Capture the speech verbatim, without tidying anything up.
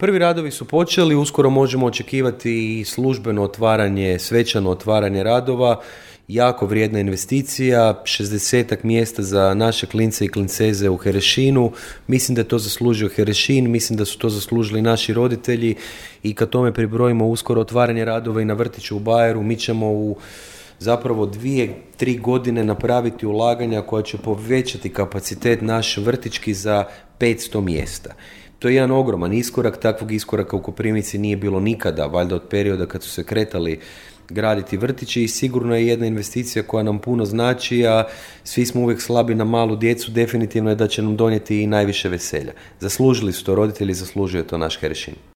Prvi radovi su počeli, uskoro možemo očekivati i službeno otvaranje, svečano otvaranje radova, jako vrijedna investicija, šezdesetak mjesta za naše klince i klinceze u Herešinu. Mislim da je to zaslužio Herešin, mislim da su to zaslužili naši roditelji i kad tome pribrojimo uskoro otvaranje radova i na vrtiću u Bajeru, mi ćemo u zapravo dvije, tri godine napraviti ulaganja koja će povećati kapacitet naš vrtićki za petsto mjesta. To je jedan ogroman iskorak, takvog iskoraka u Koprivnici nije bilo nikada, valjda od perioda kad su se kretali graditi vrtići i sigurno je jedna investicija koja nam puno znači, a svi smo uvijek slabi na malu djecu, definitivno je da će nam donijeti i najviše veselja. Zaslužili su to roditelji, zaslužuje to naš Herešin.